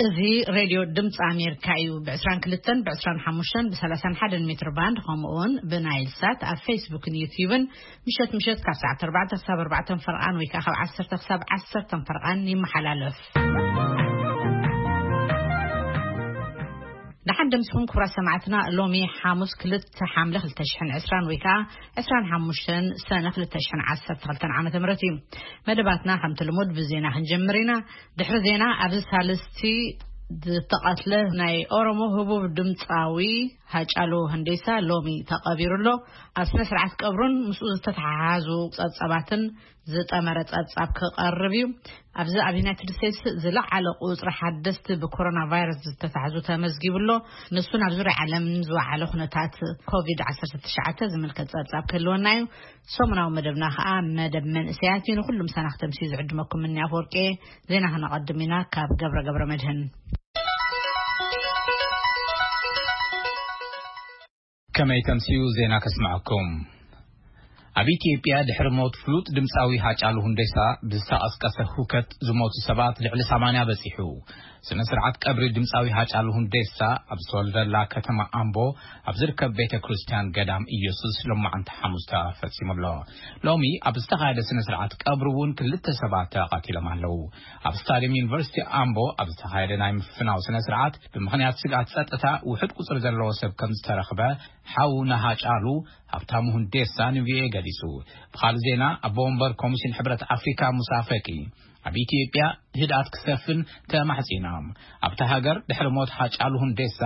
እዚ ሬድዮ ድምፂ ኣሜሪካ እዩ። ብ22፣ ብ25፣ ብ31 ሜትር ባንድ፣ ከምኡ እውን ብናይል ሳት ኣብ ፌስቡክን ዩትዩብን ምሸት ምሸት ካብ ሰዓት 4 ክሳብ 4 ፈርቓን ወይ ከዓ ካብ 10 ክሳብ 10 ፈርቓን ይመሓላለፍ። ደሓን ደምስኹም ክቡራት ሰማዕትና። ሎሚ ሓሙስ ክልተ ሓምለ ክልተ ሽሕን ዕስራን ወይ ከዓ ዕስራን ሓሙሽተን ሰነ ክልተ ሽሕን ዓሰርተ ክልተን ዓመተ ምህረት እዩ። መደባትና ከምቲ ልሙድ ብዜና ክንጀምር ኢና። ድሕሪ ዜና ኣብዚ ሳልስቲ ዝተቐትለ ናይ ኦሮሞ ህቡብ ድምፃዊ ሃጫሉ ህንዴሳ ሎሚ ተቐቢሩ ኣሎ። ኣብ ስነ ስርዓት ቀብሩን ምስኡ ዝተተሓሓዙ ጸብጻባትን ዝጠመረ ጸብጻብ ክቐርብ እዩ። ኣብዚ ኣብ ዩናይትድ ስቴትስ ዝለዓለ ቁጽሪ ሓደስቲ ብኮሮና ቫይረስ ዝተታሕዙ ተመዝጊቡ ኣሎ። ንሱ ናብ ዙርያ ዓለም ዝወዓለ ኩነታት ኮቪድ ዓሰርተ ትሽዓተ ዝምልከት ጸብጻብ ክህልወና እዩ። ሰሙናዊ መደብና ከዓ መደብ መንእሰያት እዩ። ንኩሉ ምሳና ክተምስዩ ዝዕድመኩም ምኒ ኣፈወርቂ። ዜና ክነቐድም ኢና ካብ ገብረ ገብረ መድህን። ከመይ ተምስዩ ዜና ከስምዐኩም። ኣብ ኢትዮጵያ ድሕሪ ሞት ፍሉጥ ድምፃዊ ሃጫሉ ሁንዴሳ ብዝተቐስቀሰ ሁከት ዝሞቱ ሰባት ልዕሊ ሰማንያ በፂሑ። ስነ ስርዓት ቀብሪ ድምፃዊ ሃጫሉ ሁንዴሳ ኣብ ዝተወልደላ ከተማ ኣምቦ ኣብ ዝርከብ ቤተ ክርስቲያን ገዳም ኢየሱስ ሎማዓንቲ ሓሙስ ተፈጺሙ ኣሎ። ሎሚ ኣብ ዝተኻየደ ስነ ስርዓት ቀብሪ እውን ክልተ ሰባት ተቐቲሎም ኣለዉ። ኣብ ስታዲየም ዩኒቨርሲቲ ኣምቦ ኣብ ዝተኻየደ ናይ ምፍናው ስነ ስርዓት ብምኽንያት ስግኣት ጸጥታ ውሑድ ቁጽሪ ዘለዎ ሰብ ከም ዝተረኽበ ሓው ናሃጫሉ ሃብታሙ ሁንዴሳ ንቪኦኤ ገሊጹ። ብኻልእ ዜና ኣቦ ወንበር ኮሚሽን ሕብረት ኣፍሪካ ሙሳ ፈቂ ኣብ ኢትዮጵያ ህድኣት ክሰፍን ተማሕጺኖም። ኣብታ ሃገር ድሕሪ ሞት ሃጫሉ ሁንዴሳ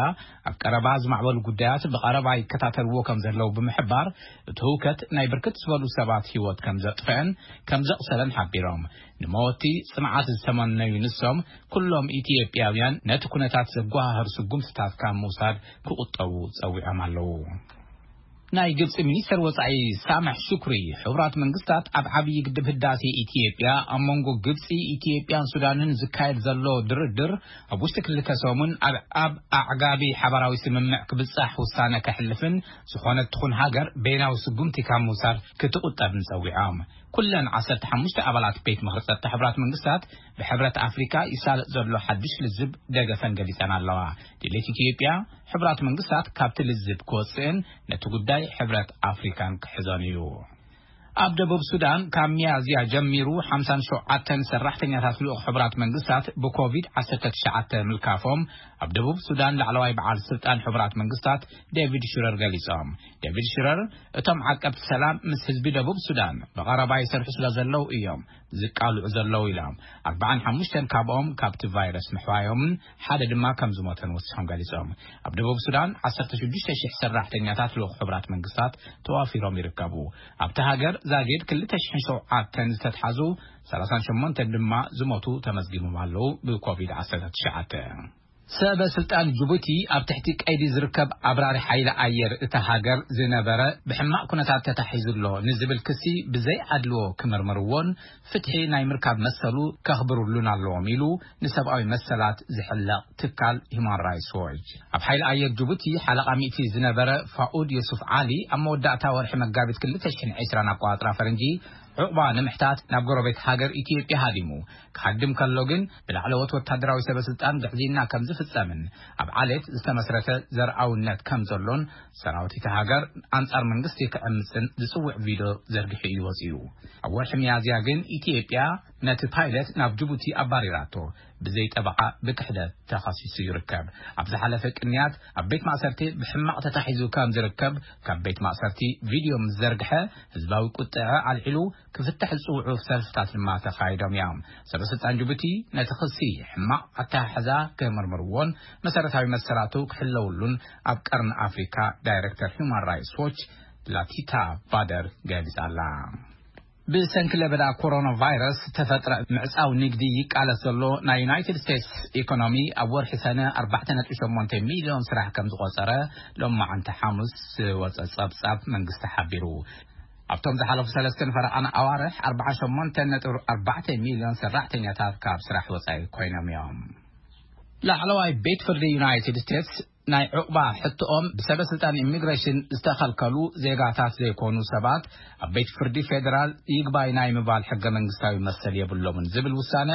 ኣብ ቀረባ ዝማዕበሉ ጉዳያት ብቐረባ ይከታተልዎ ከም ዘለዉ ብምሕባር እቲ ህውከት ናይ ብርክት ዝበሉ ሰባት ህይወት ከም ዘጥፍአን ከም ዘቕሰለን ሓቢሮም። ንመወቲ ጽንዓት ዝተመነዩ ንሶም ኩሎም ኢትዮጵያውያን ነቲ ኩነታት ዘጓሃህር ስጉምትታት ካብ ምውሳድ ክቑጠቡ ጸዊዖም ኣለዉ። ናይ ግብጺ ሚኒስተር ወጻኢ ሳምሕ ሹክሪ ሕቡራት መንግስታት ኣብ ዓብዪ ግድብ ህዳሴ ኢትዮጵያ ኣብ መንጎ ግብጺ፣ ኢትዮጵያን ሱዳንን ዝካየድ ዘሎ ድርድር ኣብ ውሽጢ ክልተ ሰሙን ኣብ ኣብ ኣዕጋቢ ሓባራዊ ስምምዕ ክብጻሕ ውሳነ ከሕልፍን ዝኾነት ትኹን ሃገር በይናዊ ስጉምቲ ካብ ምውሳድ ክትቑጠብን ጸዊዖም። ኩለን ዓሰርተ ሓሙሽተ ኣባላት ቤት ምኽሪ ጸጥታ ሕቡራት መንግስታት ብሕብረት ኣፍሪካ ይሳለጥ ዘሎ ሓድሽ ልዝብ ደገፈን ገሊጸን ኣለዋ። ድሌት ኢትዮጵያ ሕቡራት መንግስታት ካብቲ ልዝብ ክወፅእን ነቲ ጉዳይ ሕብረት ኣፍሪካን ክሕዞን እዩ። ኣብ ደቡብ ሱዳን ካብ ሚያዝያ ጀሚሩ ሓምሳን ሸውዓተን ሰራሕተኛታት ልኡኽ ሕቡራት መንግስታት ብኮቪድ ዓሰርተ ትሽዓተ ምልካፎም ኣብ ደቡብ ሱዳን ላዕለዋይ በዓል ስልጣን ሕቡራት መንግስታት ዴቪድ ሽረር ገሊጾም። ዴቪድ ሽረር እቶም ዓቀብቲ ሰላም ምስ ህዝቢ ደቡብ ሱዳን ብቐረባ ይሰርሑ ስለ ዘለዉ እዮም ዝቃልዑ ዘለዉ ኢሎም። ኣርባዓን ሓሙሽተን ካብኦም ካብቲ ቫይረስ ምሕዋዮምን ሓደ ድማ ከም ዝሞተን ወሲኾም ገሊጾም። ኣብ ደቡብ ሱዳን ዓሰርተ ሽዱሽተ ሽሕ ሰራሕተኛታት ልኡኽ ሕቡራት መንግስታት ተዋፊሮም ይርከቡ። ኣብቲ ሃገር ዛጊድ ክልተ ሽሕን ሸውዓተን ዝተትሓዙ፣ ሰላሳን ሸሞንተን ድማ ዝሞቱ ተመዝጊቦም ኣለዉ ብኮቪድ ዓሰርተ ትሽዓተ። ሰበ ስልጣን ጅቡቲ ኣብ ትሕቲ ቀይዲ ዝርከብ ኣብራሪ ሓይሊ ኣየር እታ ሃገር ዝነበረ ብሕማቕ ኩነታት ተታሒዙ ኣሎ ንዝብል ክሲ ብዘይ ኣድልዎ ክምርምርዎን ፍትሒ ናይ ምርካብ መሰሉ ከኽብሩሉን ኣለዎም ኢሉ ንሰብኣዊ መሰላት ዝሕለቕ ትካል ሂማን ራይትስ ዎች። ኣብ ሓይሊ ኣየር ጅቡቲ ሓለቓ ሚእቲ ዝነበረ ፋኡድ ዮሱፍ ዓሊ ኣብ መወዳእታ ወርሒ መጋቢት ክልተ ሽሕን ዕስራን ኣቆጻጽራ ፈረንጂ ዑቕባ ንምሕታት ናብ ጎረቤት ሃገር ኢትዮጵያ ሃዲሙ ክሃድም ከሎ ግን ብላዕለዎት ወታደራዊ ሰበ ስልጣን ግዕዝይና ከም ዝፍጸምን ኣብ ዓሌት ዝተመስረተ ዘርኣውነት ከም ዘሎን ሰራዊት እቲ ሃገር ኣንጻር መንግስቲ ክዕምጽን ዝጽውዕ ቪድዮ ዘርጊሑ እዩ ወጺኡ። ኣብ ወርሒ ሚያዝያ ግን ኢትዮጵያ ነቲ ፓይለት ናብ ጅቡቲ ኣባሪራቶ ብዘይ ጠበቓ ብክሕደት ተኸሲሱ ይርከብ። ኣብ ዝሓለፈ ቅንያት ኣብ ቤት ማእሰርቲ ብሕማቕ ተታሒዙ ከም ዝርከብ ካብ ቤት ማእሰርቲ ቪድዮ ምስ ዘርግሐ ህዝባዊ ቁጥዐ ኣልዒሉ ክፍትሕ ዝጽውዑ ሰልፍታት ድማ ተኻይዶም እዮም። ሰበ ስልጣን ጅቡቲ ነቲ ክሲ ሕማቕ ኣተሓሕዛ ክምርምርዎን መሰረታዊ መሰላቱ ክሕለውሉን ኣብ ቀርኒ ኣፍሪካ ዳይሬክተር ሂውማን ራይትስ ዎች ላቲታ ባደር ገሊጻ ኣላ። ብሰንኪ ለበዳ ኮሮና ቫይረስ ተፈጥረ ምዕጻው ንግዲ ይቃለስ ዘሎ ናይ ዩናይትድ ስቴትስ ኢኮኖሚ ኣብ ወርሒ ሰነ ኣርባዕተ ነጥቢ ሸሞንተ ሚልዮን ስራሕ ከም ዝቆጸረ ሎማዓንቲ ሓሙስ ዝወጸ ጸብጻብ መንግስቲ ሓቢሩ። ኣብቶም ዝሓለፉ ሰለስተን ፈረቓን ኣዋርሕ ኣርባዓን ሸሞንተን ነጥቢ ኣርባዕተ ሚልዮን ሰራሕተኛታት ካብ ስራሕ ወጻኢ ኮይኖም እዮም። ላዕለዋይ ቤት ፍርዲ ዩናይትድ ስቴትስ ናይ ዕቑባ ሕቶኦም ብሰበ ስልጣን ኢሚግሬሽን ዝተኸልከሉ ዜጋታት ዘይኮኑ ሰባት ኣብ ቤት ፍርዲ ፌደራል ይግባይ ናይ ምባል ሕገ መንግስታዊ መሰል የብሎምን ዝብል ውሳነ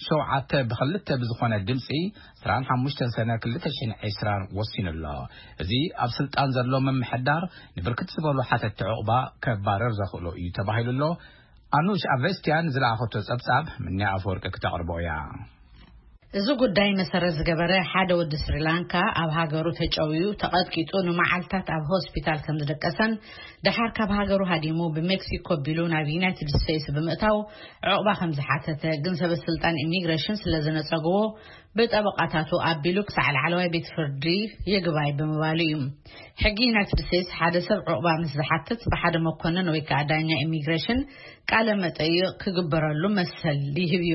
ሸውዓተ ብክልተ ብዝኾነ ድምፂ ዕስራን ሓሙሽተን ሰነ ክልተ ሽሕን ዕስራን ወሲኑ ኣሎ። እዚ ኣብ ስልጣን ዘሎ ምምሕዳር ንብርክት ዝበሉ ሓተቲ ዕቑባ ከባረር ዘኽእሎ እዩ ተባሂሉ ኣሎ። ኣኑሽ ኣቨስቲያን ዝለኣኸቶ ጸብጻብ ምንያ ኣፈወርቂ ክተቕርቦ እያ። እዚ ጉዳይ መሰረት ዝገበረ ሓደ ወዲ ስሪላንካ ኣብ ሃገሩ ተጨውዩ ተቐጥቂጡ ንመዓልታት ኣብ ሆስፒታል ከም ዝደቀሰን ደሓር ካብ ሃገሩ ሃዲሙ ብሜክሲኮ ኣቢሉ ናብ ዩናይትድ ስቴትስ ብምእታው ዕቑባ ከም ዝሓተተ ግን ሰበ ስልጣን ኢሚግሬሽን ስለ ዝነጸግዎ ብጠበቓታቱ ኣቢሉ ክሳዕ ላዕለዋይ ቤት ፍርዲ ይግባይ ብምባሉ እዩ። ሕጊ ዩናይትድ ስቴትስ ሓደ ሰብ ዕቑባ ምስ ዝሓትት ብሓደ መኮንን ወይ ከዓ ዳኛ ኢሚግሬሽን ቃለ መጠይቕ ክግበረሉ መሰል ይህብ እዩ።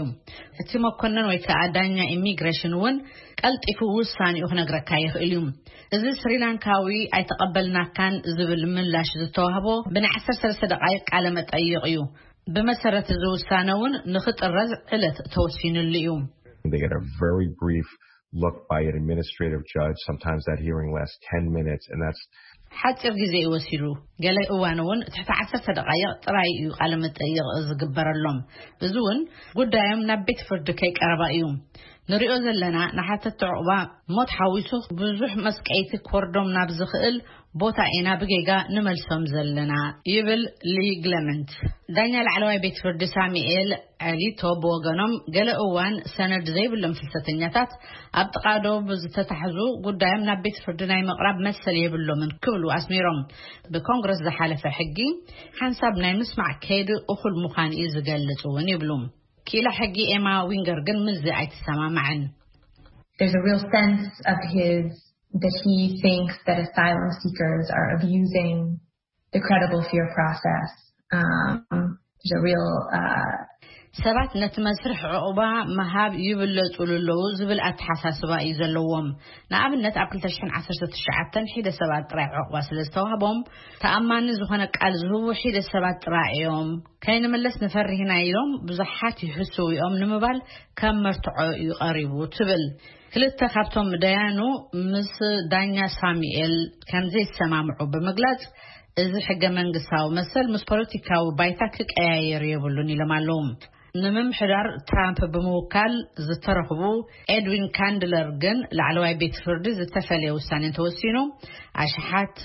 እቲ መኮንን ወይ ከዓ ዳኛ ኢሚግሬሽን እውን ቀልጢፉ ውሳኔኡ ክነግረካ ይኽእል እዩ። እዚ ስሪላንካዊ ኣይተቐበልናካን ዝብል ምላሽ ዝተዋህቦ ብናይ ዓሰርተ ሰለስተ ደቓይቕ ቃለ መጠይቕ እዩ። ብመሰረት እዚ ውሳነ እውን ንኽጥረዝ ዕለት ተወሲኑሉ እዩ። They get a very brief look by an administrative judge. Sometimes that hearing lasts ten minutes, and that's ሓፂር ግዜ እዩ ወሲዱ። ገለ እዋን እውን ትሕቲ ዓሰርተ ደቓይቕ ጥራይ እዩ ቃለ መጠይቕ ዝግበረሎም። እዚ እውን ጉዳዮም ናብ ቤት ፍርዲ ከይቀረባ እዩ። ንሪኦ ዘለና ንሓተቲ ዕቑባ ሞት ሓዊሱ ብዙሕ መስቀይቲ ክወርዶም ናብ ዝኽእል ቦታ ኢና ብጌጋ ንመልሶም ዘለና ይብል ሊግለመንት። ዳኛ ላዕለዋይ ቤት ፍርዲ ሳሙኤል ኣሊቶ ብወገኖም ገለ እዋን ሰነድ ዘይብሎም ፍልሰተኛታት ኣብ ጥቓ ዶብ ዝተታሕዙ ጉዳዮም ናብ ቤት ፍርዲ ናይ ምቕራብ መሰል የብሎምን ክብሉ ኣስሚሮም። ብኮንግረስ ዝሓለፈ ሕጊ ሓንሳብ ናይ ምስማዕ ከይዲ እኹል ምዃን እዩ ዝገልጽ እውን ይብሉ። ክኢላ ሕጊ ኤማ ዊንገር ግን ምስዚ ኣይትሰማማዕን። There's a real sense of his that he thinks that asylum seekers are abusing the credible fear process. Um, there's a real uh, ሰባት ነቲ መስርሕ ዕቑባ ምሃብ ይብለጹሉ ኣለዉ ዝብል ኣተሓሳስባ እዩ ዘለዎም። ንኣብነት ኣብ ክልተ ሽሕን ዓሰርተ ትሽዓተን ሒደ ሰባት ጥራይ ዕቑባ ስለ ዝተዋህቦም ተኣማኒ ዝኾነ ቃል ዝህቡ ሒደ ሰባት ጥራይ እዮም። ከይንምለስ ንፈርህ ኢና ኢሎም ብዙሓት ይሕስዉ እዮም ንምባል ከም መርትዖ እዩ ቀሪቡ ትብል። ክልተ ካብቶም ደያኑ ምስ ዳኛ ሳሙኤል ከም ዘይሰማምዑ ብምግላጽ እዚ ሕገ መንግስታዊ መሰል ምስ ፖለቲካዊ ባይታ ክቀያየር የብሉን ኢሎም ኣለዉ። ንምምሕዳር ትራምፕ ብምውካል ዝተረኽቡ ኤድዊን ካንድለር ግን ላዕለዋይ ቤት ፍርዲ ዝተፈለየ ውሳኔ እንተወሲኑ ኣሽሓት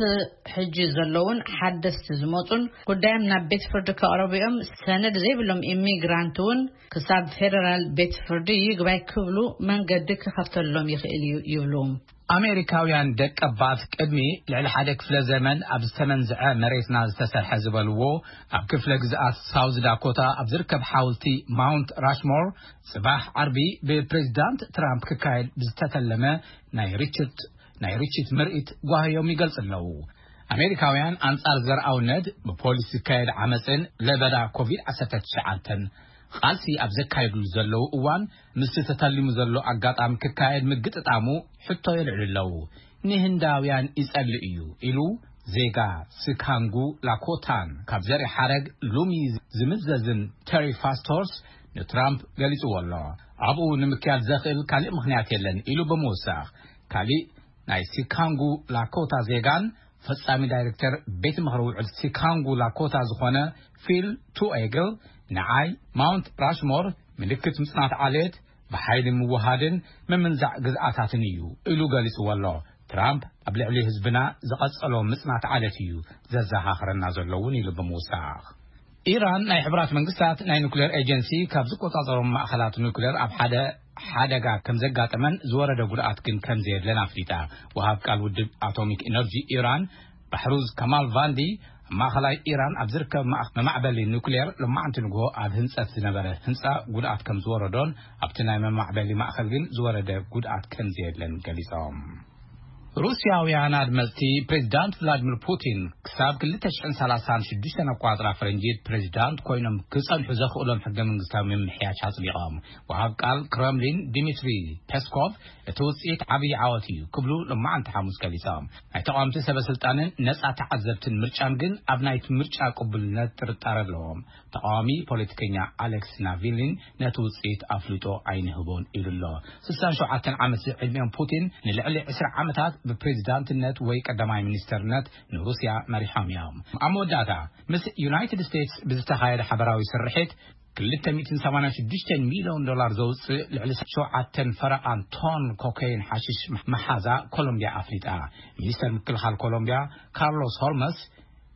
ሕጂ ዘለውን ሓደስቲ ዝመጹን ጉዳዮም ናብ ቤት ፍርዲ ከቕረቡ እዮም። ሰነድ ዘይብሎም ኢሚግራንት እውን ክሳብ ፌደራል ቤት ፍርዲ ይግባይ ክብሉ መንገዲ ክኸፍተሎም ይኽእል እዩ ይብሉ። ኣሜሪካውያን ደቀባት ቅድሚ ልዕሊ ሓደ ክፍለ ዘመን ኣብ ዝተመንዝዐ መሬትና ዝተሰርሐ ዝበልዎ ኣብ ክፍለ ግዝኣት ሳውዝ ዳኮታ ኣብ ዝርከብ ሓውልቲ ማውንት ራሽሞር ጽባሕ ዓርቢ ብፕሬዚዳንት ትራምፕ ክካየድ ብዝተተለመ ናይ ርችት ናይ ርችት ምርኢት ጓህዮም ይገልጽ ኣለዉ። ኣሜሪካውያን ኣንጻር ዘርኣውነት ብፖሊስ ዝካየድ ዓመፅን ለበዳ ኮቪድ ዓሰርተ ትሽዓተ ቃልሲ ኣብ ዘካየድሉ ዘለዉ እዋን ምስቲ ተተሊሙ ዘሎ ኣጋጣሚ ክካየድ ምግጥጣሙ ሕቶ የልዕሉ ኣለዉ። ንህንዳውያን ይጸልእ እዩ ኢሉ ዜጋ ስካንጉ ላኮታን ካብ ዘርኢ ሓረግ ሉሚ ዝምዘዝን ተሪ ፋስቶርስ ንትራምፕ ገሊጽዎ ኣሎ። ኣብኡ ንምክያድ ዘኽእል ካልእ ምኽንያት የለን ኢሉ ብምውሳኽ ካልእ ናይ ሲካንጉ ላኮታ ዜጋን ፈጻሚ ዳይሬክተር ቤት ምኽሪ ውዕል ሲካንጉ ላኮታ ዝኾነ ፊል ቱኤግል ንዓይ ማውንት ራሽሞር ምልክት ምጽናት ዓሌት ብሓይሊ ምውሃድን ምምንዛዕ ግዝኣታትን እዩ ኢሉ ገሊጽዎ ኣሎ። ትራምፕ ኣብ ልዕሊ ህዝብና ዝቐጸሎ ምጽናት ዓሌት እዩ ዘዘኻኽረና ዘሎ እውን ኢሉ ብምውሳኽ ኢራን ናይ ሕብራት መንግስታት ናይ ኑክሌር ኤጀንሲ ካብ ዝቆጻጸሮም ማእኸላት ኑክሌር ኣብ ሓደ ሓደጋ ከም ዘጋጠመን ዝወረደ ጉድኣት ግን ከም ዘየለን ኣፍሊጣ። ወሃብ ቃል ውድብ ኣቶሚክ ኢነርጂ ኢራን ባሕሩዝ ከማል ቫንዲ ኣብ ማእኸላይ ኢራን ኣብ ዝርከብ መማዕበሊ ኑክሌር ሎማዕንቲ ንግሆ ኣብ ህንፀት ዝነበረ ህንፃ ጉድኣት ከም ዝወረዶን ኣብቲ ናይ መማዕበሊ ማእኸል ግን ዝወረደ ጉድኣት ከም ዘየለን ገሊፆም። ሩስያውያን ኣድመፅቲ ፕሬዚዳንት ቭላድሚር ፑቲን ክሳብ ክልተ ሽሕን ሰላሳን ሽዱሽተን ኣቋፅራ ፈረንጂ ፕሬዚዳንት ኮይኖም ክፀንሑ ዘኽእሎም ሕገ መንግስታዊ ምምሕያሽ ኣፅዲቖም። ወሃብ ቃል ክረምሊን ዲሚትሪ ፔስኮቭ እቲ ውፅኢት ዓብዪ ዓወት እዩ ክብሉ ሎማዓንቲ ሓሙስ ገሊፆም። ናይ ተቃወምቲ ሰበ ስልጣንን ነፃ ተዓዘብትን ምርጫን ግን ኣብ ናይቲ ምርጫ ቅቡልነት ጥርጣረ ኣለዎም። ተቃዋሚ ፖለቲከኛ ኣሌክስ ናቪሊን ነቲ ውፅኢት ኣፍልጦ ኣይንህቦን ኢሉ ኣሎ። ስሳን ሸውዓተን ዓመት ዕድሚኦም ፑቲን ንልዕሊ ዕስራ ዓመታት ብፕሬዚዳንትነት ወይ ቀዳማይ ሚኒስተርነት ንሩስያ መሪሖም እዮም። ኣብ መወዳእታ፣ ምስ ዩናይትድ ስቴትስ ብዝተኻየደ ሓበራዊ ስርሒት፣ ክልተ ሚእትን ሰማንያን ሽዱሽተን ሚልዮን ዶላር ዘውፅእ ልዕሊ ሸውዓተን ፈረቓን ቶን ኮካይን ሓሽሽ መሓዛ ኮሎምቢያ ኣፍሊጣ። ሚኒስተር ምክልኻል ኮሎምቢያ ካርሎስ ሆልመስ፣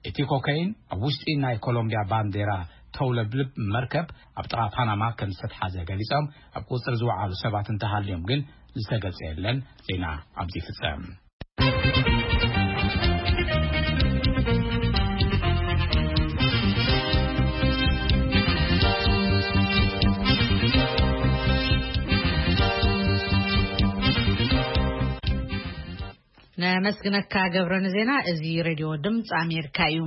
እቲ ኮካይን ኣብ ውሽጢ ናይ ኮሎምቢያ ባንዴራ ተውለብልብ መርከብ ኣብ ጥቓ ፓናማ ከም ዝተትሓዘ ገሊጾም፣ ኣብ ቁጽሪ ዝወዓሉ ሰባት እንተሃልዮም ግን ዝተገልጸ የለን። ዜና ኣብዚ ይፍጸም። ነመስግነካ ገብረ ንዜና። እዚ ሬድዮ ድምፂ ኣሜሪካ እዩ።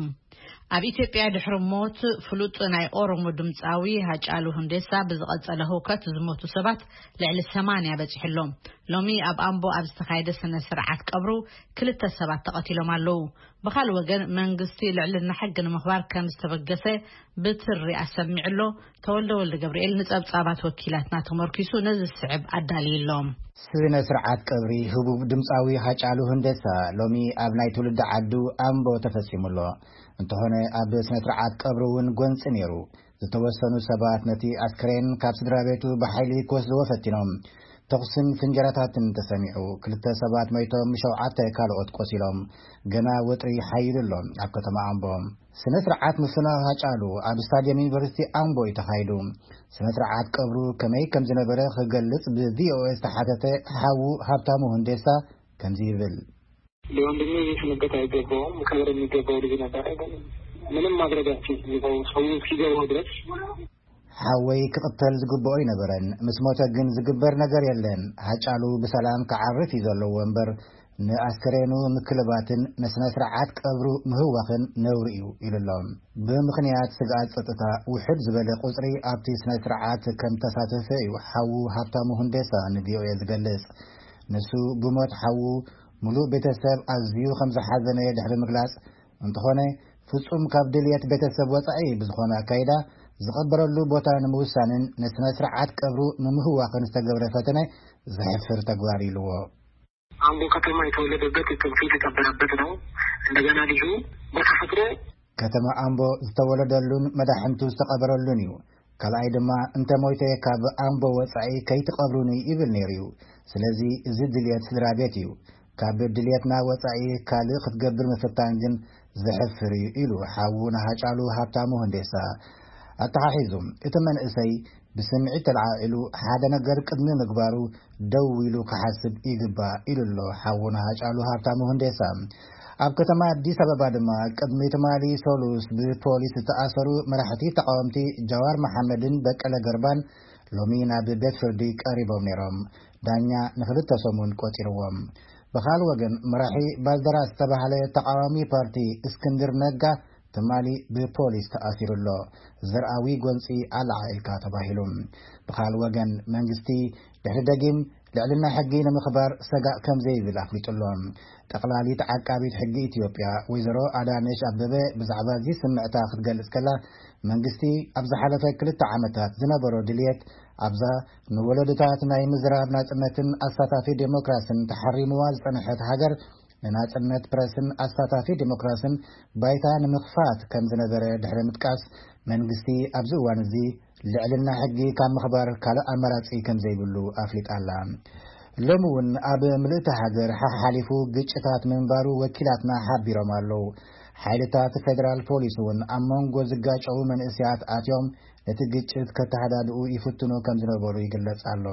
ኣብ ኢትዮጵያ ድሕሪ ሞት ፍሉጥ ናይ ኦሮሞ ድምፃዊ ሃጫሉ ሁንዴሳ ብዝቐጸለ ህውከት ዝሞቱ ሰባት ልዕሊ ሰማንያ በጺሑ ኣሎ። ሎሚ ኣብ ኣምቦ ኣብ ዝተኻየደ ስነ ስርዓት ቀብሩ ክልተ ሰባት ተቐቲሎም ኣለዉ። ብኻልእ ወገን መንግስቲ ልዕልና ሕጊ ንምኽባር ከም ዝተበገሰ ብትሪ ኣሰሚዑ ኣሎ። ተወልደ ወልደ ገብርኤል ንጸብጻባት ወኪላትና ተመርኪሱ ነዚ ዝስዕብ ኣዳልዩ ኣሎ። ስነ ስርዓት ቀብሪ ህቡብ ድምፃዊ ሃጫሉ ሁንዴሳ ሎሚ ኣብ ናይ ትውልዲ ዓዱ ኣምቦ ተፈጺሙ ኣሎ። እንተኾነ ኣብ ስነ ስርዓት ቀብሪ እውን ጎንፂ ነይሩ። ዝተወሰኑ ሰባት ነቲ ኣስክሬን ካብ ስድራ ቤቱ ብሓይሊ ክወስድዎ ፈቲኖም። ተኹስን ፍንጀራታትን ተሰሚዑ። ክልተ ሰባት መይቶም፣ ሸውዓተ ካልኦት ቆሲሎም። ገና ወጥሪ ሓይሉ ኣሎ ኣብ ከተማ ኣምቦ። ስነ ስርዓት ምፍናው ሃጫሉ ኣብ ስታድየም ዩኒቨርሲቲ ኣምቦ እዩ ተኻይዱ። ስነ ስርዓት ቀብሩ ከመይ ከም ዝነበረ ክገልጽ ብ ቪ ኦ ኤ ዝተሓተተ ሓዉ ሃብታሙ ሁንዴሳ ከምዚ ይብል። ለወንድሜ ስንብት አይገባውም። ክብር የሚገባው ልጅ ነበረ፣ ግን ምንም ማድረግ አልችልም። ሰው እስኪገባው ድረስ ሓወይ ክቕተል ዝግብኦ ኣይነበረን። ምስ ሞተ ግን ዝግበር ነገር የለን። ሃጫሉ ብሰላም ክዓርፍ እዩ ዘለዎ እምበር፣ ንኣስከሬኑ ምክልባትን ንስነ ስርዓት ቀብሩ ምህዋኽን ነውሪ እዩ ኢሉ ኣሎ። ብምኽንያት ስግኣት ጸጥታ፣ ውሕድ ዝበለ ቁጽሪ ኣብቲ ስነ ስርዓት ከም ተሳተፈ እዩ ሓዉ ሃብታሙ ሁንዴሳ ን ቪ ኦ ኤ ዝገልጽ። ንሱ ብሞት ሓዉ፣ ምሉእ ቤተሰብ ኣዝዩ ከም ዝሓዘነ ድሕሪ ምግላጽ፣ እንተኾነ፣ ፍጹም ካብ ድልየት ቤተሰብ ወጻኢ ብዝኾነ ኣካይዳ ዝቐበረሉ ቦታ ንምውሳንን ንስነ ስርዓት ቀብሩ ንምህዋኽን ዝተገብረ ፈተነ ዘሕፍር ተግባር ኢልዎ። አምቦ ከተማ የተወለደበት፣ ጥንቱ የተቀበረበት ነው። እንደገና ልጁ በተፈጥሮ ከተማ ኣምቦ ዝተወለደሉን መዳሕንቱ ዝተቐበረሉን እዩ። ካልኣይ ድማ፣ እንተ ሞይተ ካብ ኣምቦ ወጻኢ ከይትቐብሩኒ ይብል ነይሩ እዩ። ስለዚ እዚ ድልየት ስድራ ቤት እዩ። ካብ ድልየትና ወጻኢ ካልእ ክትገብር ምፍታን ግን ዘሕፍር እዩ ኢሉ ሓዉ ንሃጫሉ ሃብታሙ ሁንዴሳ ኣተሓሒዙ። እቲ መንእሰይ ብስምዒት ተለዓዒሉ ሓደ ነገር ቅድሚ ምግባሩ ደው ኢሉ ክሓስብ ይግባእ ኢሉ ኣሎ ሓዉ ንሃጫሉ ሃብታሙ ሁንዴሳ። ኣብ ከተማ ኣዲስ ኣበባ ድማ ቅድሚ ትማሊ ሰሉስ ብፖሊስ ዝተኣሰሩ መራሕቲ ተቃወምቲ ጃዋር መሓመድን በቀለ ገርባን ሎሚ ናብ ቤት ፍርዲ ቀሪቦም ነይሮም። ዳኛ ንክልተ ሰሙን ቆጺርዎም። ብኻል ወገን፣ መራሒ ባልደራስ ዝተባህለ ተቃዋሚ ፓርቲ እስክንድር ነጋ ትማሊ ብፖሊስ ተኣሲሩ ኣሎ። ዘርኣዊ ጎንጺ ኣለዓዒልካ ተባሂሉ። ብኻል ወገን፣ መንግስቲ ድሕሪ ደጊም ልዕልና ሕጊ ንምኽባር ሰጋእ ከም ዘይብል ኣፍሊጡ ኣሎ። ጠቕላሊት ዓቃቢት ሕጊ ኢትዮጵያ ወይዘሮ ኣዳነሽ ኣበበ ብዛዕባ እዚ ስምዕታ ክትገልጽ ከላ፣ መንግስቲ ኣብ ዝሓለፈ ክልተ ዓመታት ዝነበሮ ድልየት ኣብዛ ንወለዶታት ናይ ምዝራብ ናጽነትን ኣሳታፊ ዴሞክራስን ተሓሪምዋ ዝጸንሐት ሃገር፣ ንናጽነት ፕረስን ኣሳታፊ ዴሞክራስን ባይታ ንምኽፋት ከም ዝነበረ ድሕሪ ምጥቃስ፣ መንግስቲ ኣብዚ እዋን እዚ ልዕልና ሕጊ ካብ ምኽባር ካልእ ኣማራጺ ከም ዘይብሉ ኣፍሊጣ ኣላ። ሎሚ እውን ኣብ ምልእቲ ሃገር ሓሓሊፉ ግጭታት ምንባሩ ወኪላትና ሓቢሮም ኣለዉ። ሓይልታት ፌደራል ፖሊስ እውን ኣብ መንጎ ዝጋጨዉ መንእሰያት ኣትዮም ነቲ ግጭት ከተሃዳድኡ ይፍትኑ ከም ዝነበሩ ይግለጽ ኣሎ።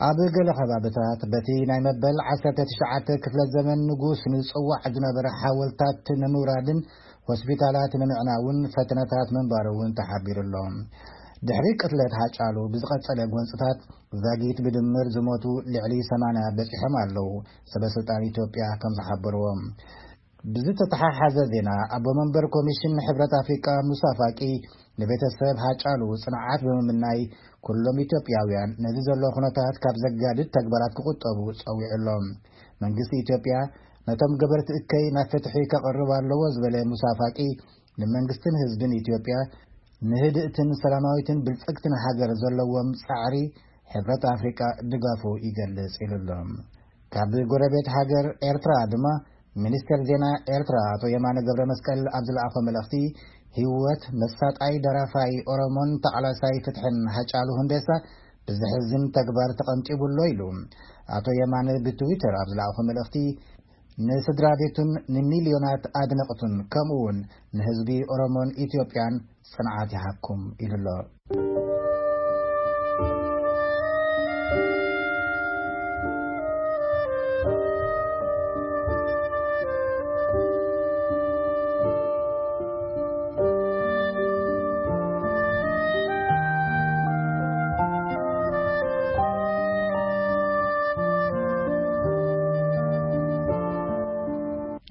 ኣብ ገለ ከባብታት በቲ ናይ መበል ዓሰርተ ትሽዓተ ክፍለ ዘመን ንጉስ ንጽዋዕ ዝነበረ ሓወልታት ንምውራድን ሆስፒታላት ንምዕናውን ፈተነታት ምንባሩ እውን ተሓቢሩ ኣሎ። ድሕሪ ቅትለት ሃጫሉ ብዝቐጸለ ጎንጽታት ዛጊት ብድምር ዝሞቱ ልዕሊ ሰማንያ በጺሖም ኣለዉ፣ ሰበ ስልጣን ኢትዮጵያ ከም ዝሓበርዎም። ብዝተተሓሓዘ ዜና፣ ኣቦ መንበር ኮሚሽን ሕብረት ኣፍሪቃ ሙሳ ፋቂ ንቤተሰብ ሃጫሉ ጽንዓት ብምምናይ፣ ኩሎም ኢትዮጵያውያን ነዚ ዘሎ ኩነታት ካብ ዘጋድድ ተግባራት ክቑጠቡ ጸዊዑ ኣሎ። መንግስቲ ኢትዮጵያ ነቶም ገበርቲ እከይ ናብ ፍትሒ ከቕርብ ኣለዎ ዝበለ ሙሳ ፋቂ፣ ንመንግስትን ህዝብን ኢትዮጵያ ንህድእትን ሰላማዊትን ብልጽግትን ሃገር ዘለዎም ጻዕሪ ሕብረት ኣፍሪቃ ድጋፉ ይገልጽ ኢሉ ኣሎ። ካብ ጎረቤት ሃገር ኤርትራ ድማ፣ ሚኒስትር ዜና ኤርትራ ኣቶ የማነ ገብረ መስቀል ኣብ ዝለኣኾ መልእኽቲ፣ ህይወት መሳጣይ ደራፋይ ኦሮሞን ተቓላሳይ ፍትሕን ሃጫሉ ሁንዴሳ ብዘሕዝን ተግባር ተቐንጢቡ ኣሎ ኢሉ። ኣቶ የማነ ብትዊተር ኣብ ዝለኣኾ መልእኽቲ፣ ንስድራ ቤቱን ንሚልዮናት ኣድነቕቱን፣ ከምኡ እውን ንህዝቢ ኦሮሞን ኢትዮጵያን ጽንዓት ይሃብኩም ኢሉ ኣሎ።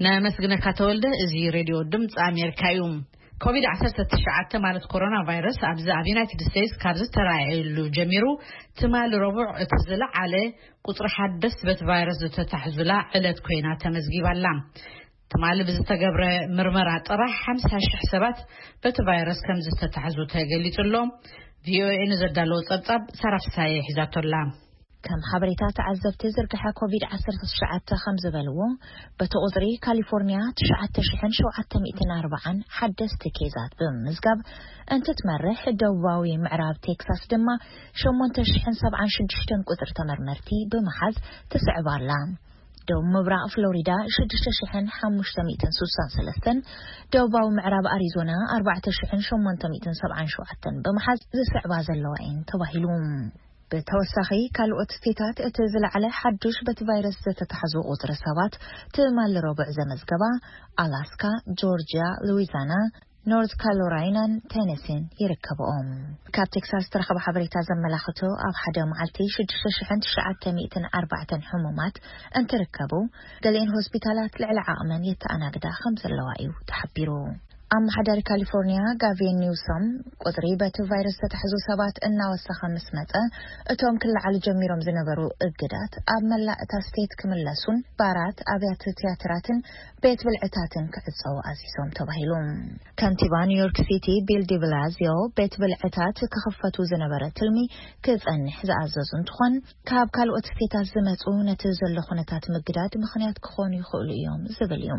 ነመስግነካ ተወልደ። እዚ ሬድዮ ድምፂ ኣሜሪካ እዩ። ኮቪድ ዓሰርተ ትሽዓተ ማለት ኮሮና ቫይረስ ኣብዚ ኣብ ዩናይትድ ስቴትስ ካብ ዝተራእየሉ ጀሚሩ ትማሊ ረቡዕ እቲ ዝለዓለ ቁፅሪ ሓደስቲ በቲ ቫይረስ ዝተታሕዙላ ዕለት ኮይና ተመዝጊባላ። ትማሊ ብዝተገብረ ምርመራ ጥራሕ ሓምሳ ሽሕ ሰባት በቲ ቫይረስ ከም ዝተታሕዙ ተገሊጹ ኣሎ። ቪኦኤ ንዘዳለዎ ጸብጻብ ሳራ ፍሳየ ሒዛቶላ። ከም ሓበሬታ ተዓዘብቲ ዝርግሐ ኮቪድ ዓሰርተ ትሽዓተ ከም ዝበልዎ፣ በቲ ቁጽሪ ካሊፎርኒያ ትሽዓተ ሽሕን ሸውዓተ ሚእትን ኣርባዓን ሓደስቲ ኬዛት ብምምዝጋብ እንትትመርሕ፣ ደቡባዊ ምዕራብ ቴክሳስ ድማ ሸሞንተ ሽሕን ሰብዓን ሽዱሽተን ቁጽሪ ተመርመርቲ ብምሓዝ ትስዕብ ኣላ። ደቡብ ምብራቕ ፍሎሪዳ ሽዱሽተ ሽሕን ሓሙሽተ ሚእትን ሱሳን ሰለስተን፣ ደቡባዊ ምዕራብ ኣሪዞና ኣርባዕተ ሽሕን ሸሞንተ ሚእትን ሰብዓን ሸውዓተን ብምሓዝ ዝስዕባ ዘለዋ እየን ተባሂሉ። ብተወሳኺ፣ ካልኦት ስቴታት እቲ ዝለዓለ ሓዱሽ በቲ ቫይረስ ዝተታሕዙ ቁጽሪ ሰባት ትማሊ ረቡዕ ዘመዝገባ ኣላስካ፣ ጆርጅያ፣ ሉዊዛና፣ ኖርት ካሮላይናን ቴነሲን ይርከብኦም። ካብ ቴክሳስ ዝተረኸበ ሓበሬታ ዘመላኽቶ፣ ኣብ ሓደ መዓልቲ ሽዱሽተ ሽሕን ትሽዓተ ሚእትን ኣርባዕተን ሕሙማት እንትርከቡ፣ ገሊአን ሆስፒታላት ልዕሊ ዓቕመን የተኣናግዳ ከም ዘለዋ እዩ ተሓቢሩ። ኣመሓዳሪ ካሊፎርኒያ ጋቪን ኒውሶም፣ ቁጽሪ በቲ ቫይረስ ዝተታሕዙ ሰባት እናወሰኸ ምስ መጸ፣ እቶም ክለዓሉ ጀሚሮም ዝነበሩ እግዳት ኣብ መላእ እታ ስቴት ክምለሱን ባራት፣ ኣብያተ ትያትራትን ቤት ብልዕታትን ክዕጸዉ ኣዚዞም ተባሂሉ። ከንቲባ ኒውዮርክ ሲቲ ቢል ዲብላዚዮ፣ ቤት ብልዕታት ክኽፈቱ ዝነበረ ትልሚ ክጸንሕ ዝኣዘዙ እንትኾን፣ ካብ ካልኦት ስቴታት ዝመጹ ነቲ ዘሎ ኩነታት ምግዳድ ምኽንያት ክኾኑ ይኽእሉ እዮም ዝብል እዩ።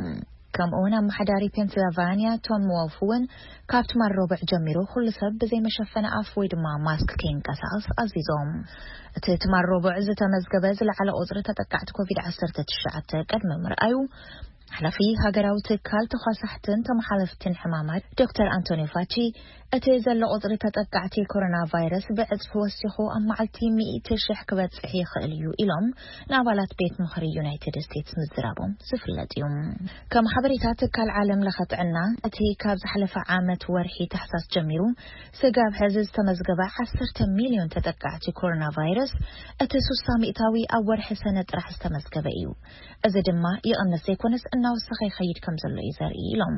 ከምኡ እውን ኣመሓዳሪ ፔንስልቫንያ ቶም ዎልፍ እውን፣ ካብ ትማል ረቡዕ ጀሚሩ ኩሉ ሰብ ብዘይ መሸፈኒ ኣፍ ወይ ድማ ማስክ ከይንቀሳቐስ ኣዚዞም። እቲ ትማል ረቡዕ ዝተመዝገበ ዝለዓለ ቁጽሪ ተጠቃዕቲ ኮቪድ ዓሰርተ ትሽዓተ ቅድሚ ምርኣዩ፣ ሓላፊ ሃገራዊ ትካል ተኳሳሕትን ተመሓላለፍትን ሕማማት ዶክተር ኣንቶኒ ፋቺ፣ እቲ ዘሎ ቁጽሪ ተጠቃዕቲ ኮሮና ቫይረስ ብዕጽፊ ወሲኹ ኣብ መዓልቲ ሚእቲ ሽሕ ክበጽሕ ይኽእል እዩ ኢሎም ንኣባላት ቤት ምኽሪ ዩናይትድ ስቴትስ ምዝራቦም ዝፍለጥ እዩ። ከም ሓበሬታ ትካል ዓለም ለኸ ጥዕና፣ እቲ ካብ ዝሓለፈ ዓመት ወርሒ ታሕሳስ ጀሚሩ ስጋብ ሕዚ ዝተመዝገበ ዓሰርተ ሚልዮን ተጠቃዕቲ ኮሮና ቫይረስ፣ እቲ ሱሳ ሚእታዊ ኣብ ወርሒ ሰነ ጥራሕ ዝተመዝገበ እዩ። እዚ ድማ ይቕንስ ዘይኮነስ እናወሰኸ ይኸይድ ከም ዘሎ እዩ ዘርኢ ኢሎም።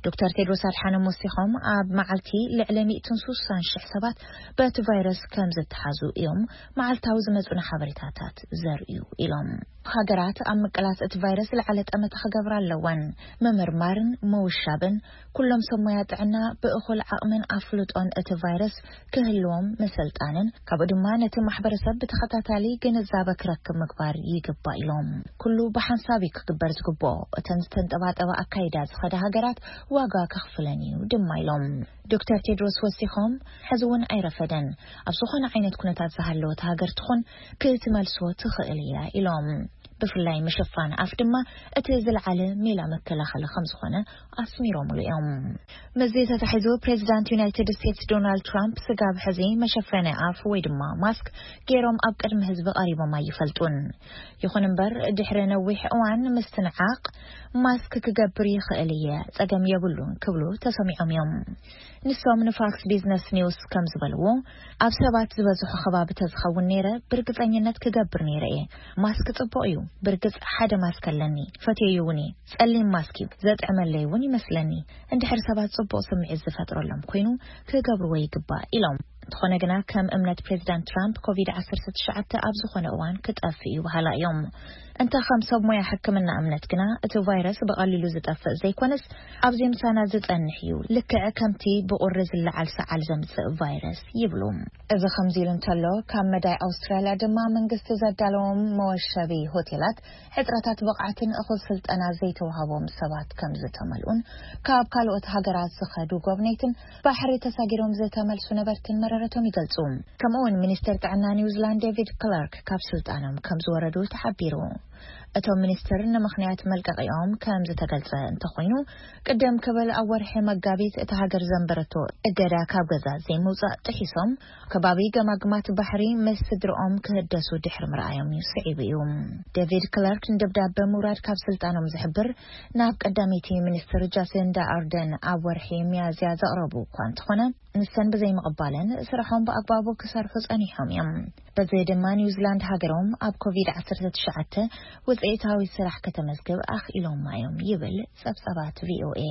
ዶክተር ቴድሮስ ኣድሓኖም ወሲኾም፣ ኣብ መዓልቲ ልዕሊ ሚእትን ሱሳን ሽሕ ሰባት በቲ ቫይረስ ከም ዝተሓዙ እዮም መዓልታዊ ዝመጹና ሓበሬታታት ዘርእዩ ኢሎም። ሃገራት ኣብ ምቅላስ እቲ ቫይረስ ዝለዓለ ጠመተ ክገብራ ኣለወን። ምምርማርን ምውሻብን፣ ኩሎም ሰብ ሞያ ጥዕና ብእኹል ዓቕምን ኣፍልጦን እቲ ቫይረስ ክህልዎም ምስልጣንን፣ ካብኡ ድማ ነቲ ማሕበረሰብ ብተኸታታሊ ግንዛበ ክረክብ ምግባር ይግባእ ኢሎም። ኩሉ ብሓንሳብ እዩ ክግበር ዝግብኦ። እተን ዝተንጠባጠባ ኣካይዳ ዝኸዳ ሃገራት ዋጋ ከኽፍለን እዩ ድማ ኢሎም። ዶክተር ቴድሮስ ወሲኾም፣ ሕዚ እውን ኣይረፈደን። ኣብ ዝኾነ ዓይነት ኩነታት ዝሃለወት ሃገር ትኹን ክትመልሶ ትኽእል እያ ኢሎም። ብፍላይ ምሽፋን ኣፍ ድማ እቲ ዝለዓለ ሜላ መከላኸሊ ከም ዝኾነ ኣስሚሮምሉ እዮም። ምስዚ ተታሒዙ፣ ፕሬዚዳንት ዩናይትድ ስቴትስ ዶናልድ ትራምፕ ስጋብ ሕዚ መሸፈኒ ኣፍ ወይ ድማ ማስክ ገይሮም ኣብ ቅድሚ ህዝቢ ቀሪቦም ኣይፈልጡን። ይኹን እምበር፣ ድሕሪ ነዊሕ እዋን ምስትንዓቕ፣ ማስክ ክገብር ይኽእል እየ፣ ጸገም የብሉን ክብሉ ተሰሚዖም እዮም። ንሶም ንፋክስ ቢዝነስ ኒውስ ከም ዝበልዎ፣ ኣብ ሰባት ዝበዝሖ ከባቢ ተዝኸውን ነይረ፣ ብርግጸኝነት ክገብር ነይረ እየ። ማስክ ጽቡቕ እዩ። ብርግጽ ሓደ ማስክ ኣለኒ፣ ፈትየዮ እውን እየ። ጸሊም ማስክ እዩ፣ ዘጥዕመለይ እውን ይመስለኒ። እንድሕር ሰባት ጽቡቕ ስምዒት ዝፈጥረሎም ኮይኑ፣ ክገብርዎ ይግባእ ኢሎም። እንተኾነ ግና ከም እምነት ፕሬዚዳንት ትራምፕ ኮቪድ ዓሰርተ ትሽዓተ ኣብ ዝኾነ እዋን ክጠፍእ እዩ በሃላ እዮም። እንተ ከም ሰብ ሞያ ሕክምና እምነት ግና እቲ ቫይረስ ብቐሊሉ ዝጠፍእ ዘይኮነስ ኣብዚ ምሳና ዝጸንሕ እዩ፣ ልክዕ ከምቲ ብቑሪ ዝለዓል ሰዓል ዘምጽእ ቫይረስ ይብሉ። እዚ ከምዚ ኢሉ እንተሎ ካብ መዳይ ኣውስትራልያ ድማ መንግስቲ ዘዳለዎም መወሸቢ ሆቴላት ሕጽረታት ብቕዓትን እኹል ስልጠና ዘይተዋህቦም ሰባት ከም ዝተመልኡን ካብ ካልኦት ሃገራት ዝኸዱ ጎብነይትን ባሕሪ ተሳጊሮም ዝተመልሱ ነበርትን መረረቶም ይገልጹ። ከምኡውን ሚኒስተር ጥዕና ኒውዚላንድ ዴቪድ ክላርክ ካብ ስልጣኖም ከም ዝወረዱ ተሓቢሩ። እቶም ሚኒስትር ንምኽንያት መልቀቂኦም ከም ዝተገልጸ እንተኾይኑ ቅደም ክብል ኣብ ወርሒ መጋቢት እታ ሃገር ዘንበረቶ እገዳ ካብ ገዛ ዘይምውጻእ ጥሒሶም ከባቢ ገማግማት ባሕሪ ምስ ስድርኦም ክህደሱ ድሕሪ ምርኣዮም እዩ ስዒቡ እዩ። ዴቪድ ክላርክ ንደብዳበ ምውራድ ካብ ስልጣኖም ዝሕብር ናብ ቀዳመይቲ ሚኒስትር ጃሲንዳ ኣርደን ኣብ ወርሒ ሚያዝያ ዘቕረቡ እኳ እንተኾነ ንሰን ብዘይምቕባለን ስርሖም ብኣግባቡ ክሰርሑ ጸኒሖም እዮም። በዚ ድማ ኒውዚላንድ ሃገሮም ኣብ ኮቪድ ዓሰርተ ትሽዓተ ውፅኢታዊ ስራሕ ከተመዝግብ ኣኽኢሎማ እዮም ይብል ጸብጻባት ቪኦኤ።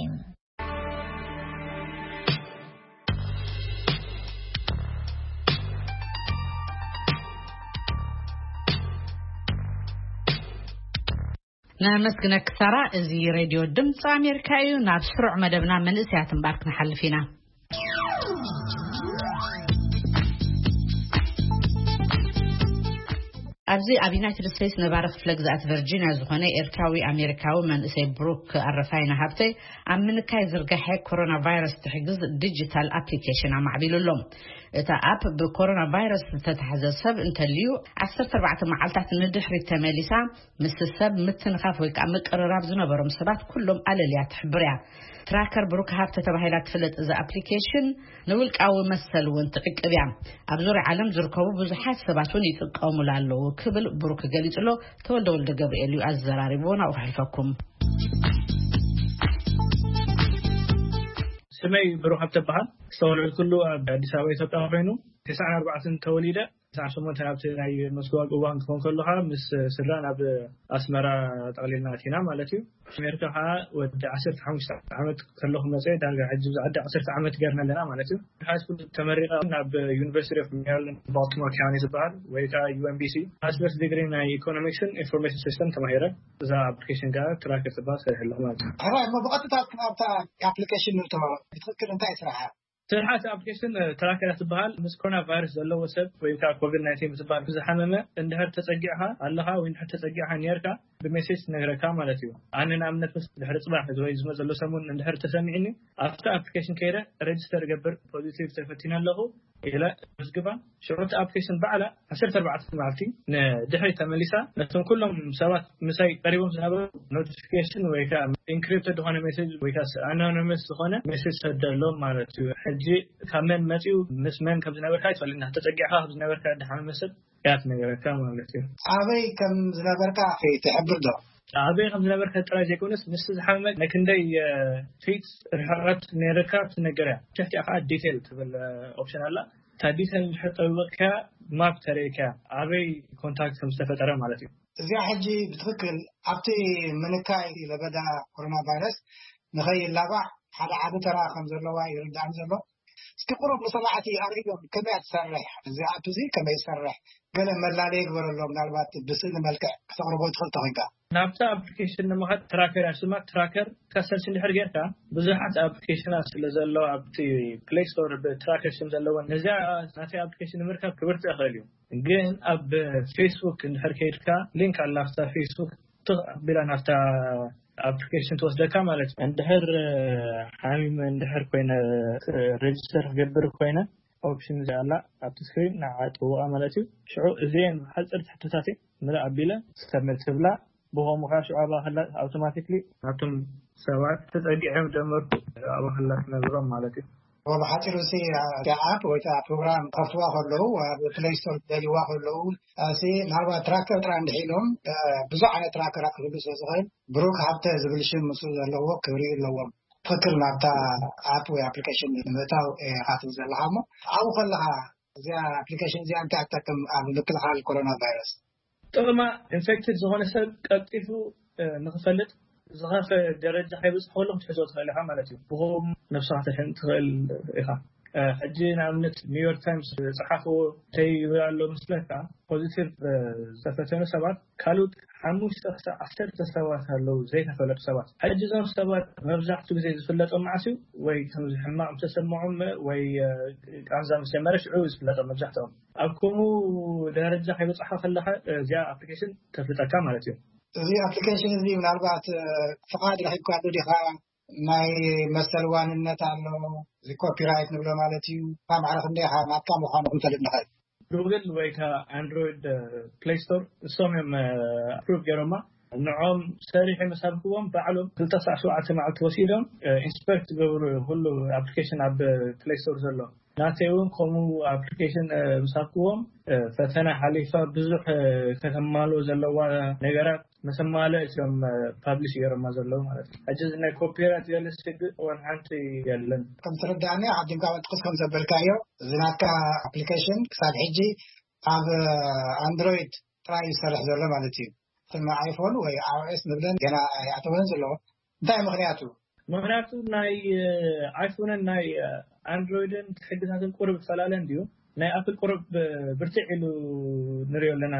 ነመስግነኪ ሳራ። እዚ ሬድዮ ድምፂ ኣሜሪካ እዩ። ናብ ስሩዕ መደብና መንእሰያት እምባር ክንሓልፍ ኢና። ኣብዚ ኣብ ዩናይትድ ስቴትስ ነባሪ ክፍለ ግዝኣት ቨርጂኒያ ዝኾነ ኤርትራዊ ኣሜሪካዊ መንእሰይ ብሩክ ኣረፋይነ ሃብተይ ኣብ ምንካይ ዝርጋሐ ኮሮና ቫይረስ ትሕግዝ ዲጂታል ኣፕሊኬሽን ኣማዕቢሉ ኣሎ። እቲ ኣፕ ብኮሮና ቫይረስ ዝተታሕዘ ሰብ እንተልዩ ዓሰርተ ኣርባዕተ መዓልታት ንድሕሪት ተመሊሳ ምስ ሰብ ምትንኻፍ ወይ ከዓ ምቅርራብ ዝነበሮም ሰባት ኩሎም ኣለልያ ትሕብር እያ። ትራከር ብሩክ ሃብተ ተባሂላ ትፍለጥ እዛ ኣፕሊኬሽን ንውልቃዊ መሰል እውን ትዕቅብ እያ። ኣብ ዙርያ ዓለም ዝርከቡ ብዙሓት ሰባት እውን ይጥቀሙላ ኣለዉ ክብል ብሩክ ገሊጹ ኣሎ። ተወልደ ወልደ ገብርኤል እዩ ኣዘራሪብዎ፣ ናብኡ ክሕልፈኩም። ስመይ ብሩክ ሃብተ በሃል። ዝተወለድኩሉ ኣብ ኣዲስ ኣበባ ኢትዮጵያ ኮይኑ ተስዓን ኣርባዕተን ተወሊደ። ተስዓን ሸሞንተን ኣብቲ ናይ መስዋእቲ እዋን ክኾን ከሎ ከዓ ምስ ስድራ ናብ ኣስመራ ጠቕሊልና ኣቲና ማለት እዩ። ኣሜሪካ ከዓ ወዲ ዓሰርተ ሓሙሽተ ዓመት ከለኹ መፀ። ዳርጋ ሕጂ ኣብዚ ዓዲ ዓሰርተ ዓመት ገርና ኣለና ማለት እዩ። ሃይስኩል ተመሪቐ ናብ ዩኒቨርሲቲ ኦፍ ሜሪላንድ ባልቲሞር ካውንቲ ዝበሃል ወይ ከዓ ዩ ኤም ቢ ሲ ማስተርስ ዲግሪ ናይ ኢኮኖሚክስን ኢንፎርሜሽን ሲስተም ተማሂረ። እዛ ኣፕሊኬሽን ከዓ ትራከር ትበሃል ሰሪሐ ኣለኹ ማለት እዩ። ሕራይ እሞ ብቐጥታ ኣብታ ኣፕሊኬሽን ንእቶ። ብትኽክል እንታይ ስራሓ? ስርሓት ኣፕሊኬሽን ትራከር ትበሃል። ምስ ኮሮና ቫይረስ ዘለዎ ሰብ ወይ ከዓ ኮቪድ ናይንቲን ምስ ዝበሃል ዝሓመመ እንድሕር ተፀጊዕኻ ኣለኻ ወይ እንድሕር ተፀጊዕኻ ነርካ ብሜሴጅ ትነግረካ ማለት እዩ። ኣነ ንኣብነት ምስ ድሕሪ ፅባሕ ወይ ዝመፅ ዘሎ ሰሙን እንድሕር ተሰሚዕኒ ኣብቲ ኣፕሊኬሽን ከይደ ሬጅስተር ገብር፣ ፖዚቲቭ ተፈቲነ ኣለኹ ኢለ መዝግባ። ሽዑ እቲ ኣፕሊኬሽን ባዕላ ዓሰርተ ኣርባዕተ መዓልቲ ንድሕሪት ተመሊሳ ነቶም ኩሎም ሰባት ምሳይ ቀሪቦም ዝነበሩ ኖቲፊኬሽን ወይ ከዓ ኢንክሪፕትድ ዝኾነ ሜሴጅ ወይ ከዓ ኣናኖኒመስ ዝኾነ ሜሴጅ ሰደሎም ማለት እዩ። ሕጂ ካብ መን መፂኡ ምስ መን ከም ዝነበርካ ኣይትፈልጥን። ተፀጊዕካ ከም ዝነበርካ ድሓመመ ሰብ እያ ትነገረካ ማለት እዩ። ኣበይ ከም ዝነበርካ ትሕብር ዶ? ኣበይ ከም ዝነበርካ ጥራይ ዘይኮነስ ምስ ዝሓመመ ናይ ክንደይ ፊት ርሕቀት ነይርካ ትነገር እያ። ትሕቲኣ ከዓ ዲቴል ትብል ኦፕሽን ኣላ። እታ ዲቴል እንድሕር ጠቢቕካ ማፕ ተርእየካ ኣበይ ኮንታክት ከም ዝተፈጠረ ማለት እዩ። እዚኣ ሕጂ ብትኽክል ኣብቲ ምንካይ ለበዳ ኮሮና ቫይረስ ንኸይላባዕ ሓደ ዓቢ ተራ ከም ዘለዋ ይርዳእኒ ዘሎ። እስኪ ቁሩብ ንሰማዕቲ ኣርእዮም፣ ከመይ እያ ትሰርሕ? እዚ ኣፕ እዚ ከመይ ይሰርሕ? ገለ መላለዪ ግበረሎም፣ ምናልባት ብስእሊ መልክዕ ክተቕርቦ ትኽእል ተኾይንካ። ናብታ ኣፕሊኬሽን ንምኻድ ትራከር እያ ስማ። ትራከር ከሰርች እንድሕር ጌርካ ብዙሓት ኣፕሊኬሽናት ስለ ዘሎ ኣብቲ ፕሌይ ስቶር ብትራከር ሽም ዘለወን ነዚኣ ናተይ ኣፕሊኬሽን ንምርካብ ክብርትዕ ይኽእል እዩ። ግን ኣብ ፌስቡክ እንድሕር ከይድካ ሊንክ ኣላ ኣብታ ፌስቡክ ትኽ ኣቢላ ናብታ ኣፕሊኬሽን ትወስደካ ማለት እዩ። እንድሕር ሓሚመ እንድሕር ኮይነ ሬጅስተር ክገብር ኮይነ ኦፕሽን እዚኣ ኣላ ኣብቲ ስክሪን ንዓ ጥውቓ ማለት እዩ። ሽዑ እዚአን ብሓፀርቲ ሕቶታት ምልእ ኣቢለ ሰብሚት ትብላ። ብኸምኡ ከዓ ሽዑ ኣባኸላ ኣውቶማቲክሊ ናብቶም ሰባት ተፀጊዖም ጀመርኩ ኣባኸላ ትነግሮም ማለት እዩ። ብሓፂሩ ሲ ኣፕ ወይ ፕሮግራም ከፍትዋ ከለዉ ኣብ ፕሌይ ስቶር ደልዋ ከለዉ ሲ ናባ ትራከር ጥራ እንድሒሎም ብዙሕ ዓይነት ትራከራት ክህሉ ስለ ዝኽእል ብሩክ ሃብተ ዝብል ሽም ምስ ዘለዎ ክብሪ ኣለዎም። ትኽክል ናብታ ኣፕ ወይ ኣፕሊኬሽን ንምእታው ኢኻ ትብል ዘለኻ እሞ ኣብኡ ከለኻ እዚኣ ኣፕሊኬሽን እዚኣ እንታይ ኣትጠቅም ኣብ ምክልኻል ኮሮና ቫይረስ? ጥቕማ ኢንፌክትድ ዝኾነ ሰብ ቀልጢፉ ንክፈልጥ ዝኸፈ ደረጃ ከይበፅሕ ከሎ ክትሕዞ ትኽእል ኢኻ ማለት እዩ። ብኸም ነብስኻ ተድሕን ትኽእል ኢኻ። ሕጂ ንኣብነት ኒውዮርክ ታይምስ ዝጸሓፍዎ እንታይ ይብል ኣሎ መስለካ? ፖዚቲቭ ዝተፈተኑ ሰባት ካልኦት ሓሙሽተ ክሳብ ዓሰርተ ሰባት ኣለዉ ዘይተፈለጡ ሰባት። ሕጂ እዞም ሰባት መብዛሕትኡ ግዜ ዝፍለጦም መዓስ እዩ? ወይ ከምዚ ሕማቕ ምስ ተሰምዖም ወይ ቃንዛ ምስ ጀመረ ሽዑ ዝፍለጦም መብዛሕትኦም። ኣብ ከምኡ ደረጃ ከይበጻሕካ ከለኻ እዚኣ ኣፕሊኬሽን ተፍልጠካ ማለት እዩ። እዚ ኣፕሊኬሽን እዚ ምናልባት ፍቓድ ረኺብካሉ ዲኻ? ናይ መሰል ዋንነት ኣሎ፣ እዚ ኮፒራይት ንብሎ ማለት እዩ። ካብ ማዕረ ክንደይ ኢኻ ናትካ ምዃኑ ክንፈልጥ ንኽእል? ጉግል ወይ ከዓ ኣንድሮይድ ፕሌይ ስቶር እሶም እዮም ኣፕሩቭ ገይሮማ። ንዖም ሰሪሕ መሳብክዎም ባዕሎም ክልተ ሳዕ ሸውዓተ መዓልቲ ወሲዶም ኢንስፐክት ገብሩ ኩሉ ኣፕሊኬሽን ኣብ ፕሌይ ስቶር ዘሎ። ናተይ እውን ከምኡ ኣፕሊኬሽን ምሳብክዎም ፈተና ሓሊፋ ብዙሕ ከተማልኦ ዘለዋ ነገራት መሰማለ እዮም ፓብሊሽ ገይሮማ ዘለዉ ማለት እዩ። ሕጂ እዚ ናይ ኮፒራይት ገለ ስግእ እዋን ሓንቲ የለን። ከም ትርዳእኒ ዓዲምካ ወጥቅስ ከም ዘበልካዮ እዚ ናትካ ኣፕሊኬሽን ክሳብ ሕጂ ኣብ ኣንድሮይድ ጥራይ ይሰርሕ ዘሎ ማለት እዩ። እተን ኣይፎን ወይ iOS ንብለን ገና ኣይኣተወን ዘለዎ። እንታይ ምኽንያቱ? ምኽንያቱ ናይ ኣይፎንን ናይ ኣንድሮይድን ሕግታትን ቁርብ ፈላለ እንድዩ። ናይ ኣፕል ቁርብ ብርትዕ ኢሉ ንሪኦ ኣለና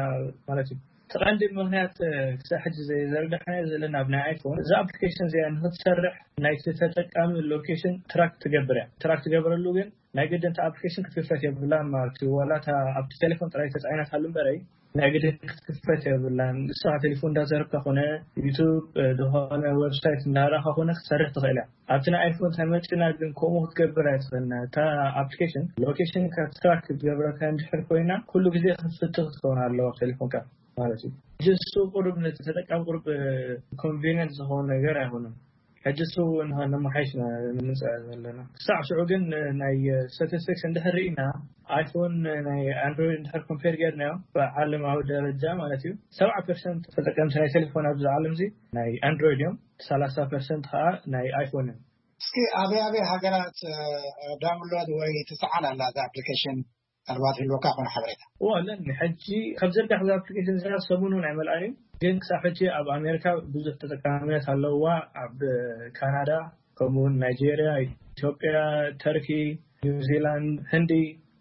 ማለት እዩ። እቲ ቀንዲ ምኽንያት ክሳብ ሕጂ ዘይዘርጋሕናዮ ዘለና ኣብ ናይ ኣይፎን እዛ ኣፕሊኬሽን እዚኣ ንክትሰርሕ ናይቲ ተጠቃሚ ሎኬሽን ትራክ ትገብር እያ። ትራክ ትገብረሉ ግን ናይ ግድን እታ ኣፕሊኬሽን ክትክፈት የብላን ማለት እዩ። ዋላ እታ ኣብቲ ቴሌፎን ጥራይ ተፃዒናትሉ እምበረይ ናይ ግድን ክትክፈት የብላን። ንስኻ ቴሌፎን እንዳዘረብካ ኮነ ዩቱብ ዝኾነ ዌብሳይት እንዳረኻ ኮነ ክትሰርሕ ትኽእል እያ። ኣብቲ ናይ ኣይፎን ተመጪና ግን ከምኡ ክትገብር ኣይትኽእልና። እታ ኣፕሊኬሽን ሎኬሽን ትራክ ክትገብረካ እንድሕር ኮይና ኩሉ ግዜ ክፍቲ ክትከውን ኣለዋ ቴሌፎንካ ማለት እዩ። ሕጂ እሱ ቁሩብ ነቲ ተጠቃሚ ቁሩብ ኮንቪኒየንት ዝኾነ ነገር ኣይኮነን። ሕጂ እሱ እውን ነመሓይሽ ኢና ንምፅእ ዘለና። ክሳዕ ሽዑ ግን ናይ ስታቲስቲክስ እንድሕር ርኢና ኣይፎን ናይ ኣንድሮይድ እንድሕር ኮምፔር ጌርናዮ ብዓለማዊ ደረጃ ማለት እዩ ሰብዓ ፐርሰንት ተጠቀምቲ ናይ ቴሌፎን ኣብዚ ዓለም እዚ ናይ ኣንድሮይድ እዮም። ሰላሳ ፐርሰንት ከዓ ናይ ኣይፎን እዮም። እስኪ ኣበይ ኣበይ ሃገራት ዳውንሎድ ወይ ትሰዓል ኣላ እዛ ኣፕሊኬሽን? ኣልባት ህልወካ ኮነ ሓበሬታ? እዎ ኣለኒ። ሕጂ ካብ ዘርጋሕ እዛ ኣፕሊኬሽን እዚኣ ሰሙን እውን ኣይመልኣን እዩ። ግን ክሳብ ሕጂ ኣብ ኣሜሪካ ብዙሕ ተጠቃምነት ኣለዋ። ኣብ ካናዳ ከምኡውን ናይጄርያ፣ ኢትዮጵያ፣ ተርኪ፣ ኒውዚላንድ፣ ህንዲ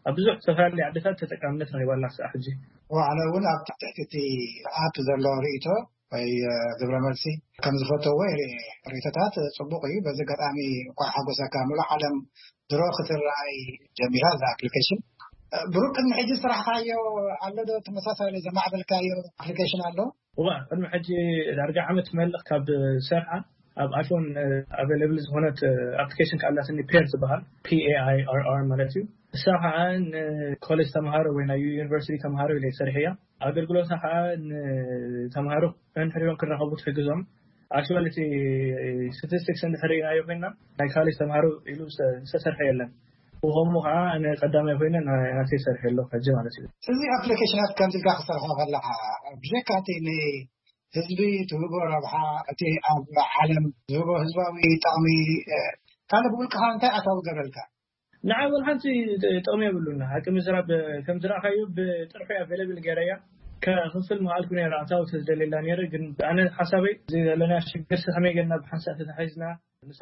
ኣብ ብዙሕ ዝተፈላለዩ ዓድታት ተጠቃምነት ረኺባ ኣላ ክሳብ ሕጂ። እዎ ኣነ እውን ኣብ ትሕቲ እቲ ኣፕ ዘሎ ርእይቶ ወይ ግብረ መልሲ ከም ዝፈተዎ ርእይቶታት ጽቡቕ እዩ። በዚ ኣጋጣሚ እንኳዕ ሓጎሰካ። ምሉእ ዓለም ድሮ ክትረኣይ ጀሚራ እዛ ኣፕሊኬሽን። ብሩክ ቅድሚ ሕጂ ዝሰራሕካዮ ኣሎ ዶ ተመሳሳሊ ዘማዕበልካዮ ኣፕሊኬሽን ኣሎ? እዋ ቅድሚ ሕጂ ዳርጋ ዓመት መልኽ ካብ ሰርሓ ኣብ ኣይፎን ኣቬለብል ዝኾነት ኣፕሊኬሽን ከኣላትኒ ፔር ዝበሃል ፒኤኣይኣርኣር ማለት እዩ። እሳ ከዓ ንኮሌጅ ተምሃሮ ወይ ናይ ዩኒቨርሲቲ ተምሃሮ ኢለ ይሰርሕ እያ። ኣገልግሎታ ከዓ ንተምሃሮ እንሕሪሮም ክራኸቡ ትሕግዞም። ኣክቹዋሊ እቲ ስታቲስቲክስ እንድሕር ርኢናዮ ኮይና ናይ ካሌጅ ተምሃሮ ኢሉ ዝተሰርሐ የለን። ብኸምኡ ከዓ ኣነ ቀዳማይ ኮይነ ናተይ ሰርሐ ኣለኹ ሕጂ ማለት እዩ። እዚ ኣፕሊኬሽናት ከምዚ ኢልካ ክሰርሖ ከለካ ብጀካ እቲ ንህዝቢ ትህቦ ረብሓ እቲ ኣብ ዓለም ዝህቦ ህዝባዊ ጠቕሚ ካልእ ብውልቅኻ እንታይ ኣታዊ ገበልካ? ንዓይ ወላ ሓንቲ ጥቕሚ የብሉና። ሓቂ ምዝራብ ከም ዝረኣኻዮ ብጥርሑ ኣቬለብል ገይረያ ከኽፍል ምኽኣልኩ ነይረ ኣታዊ ተዝደልየላ ነይረ። ግን ኣነ ሓሳበይ እዚ ዘለና ሽግር ከመይ ገና ብሓንሳእ ተታሒዝና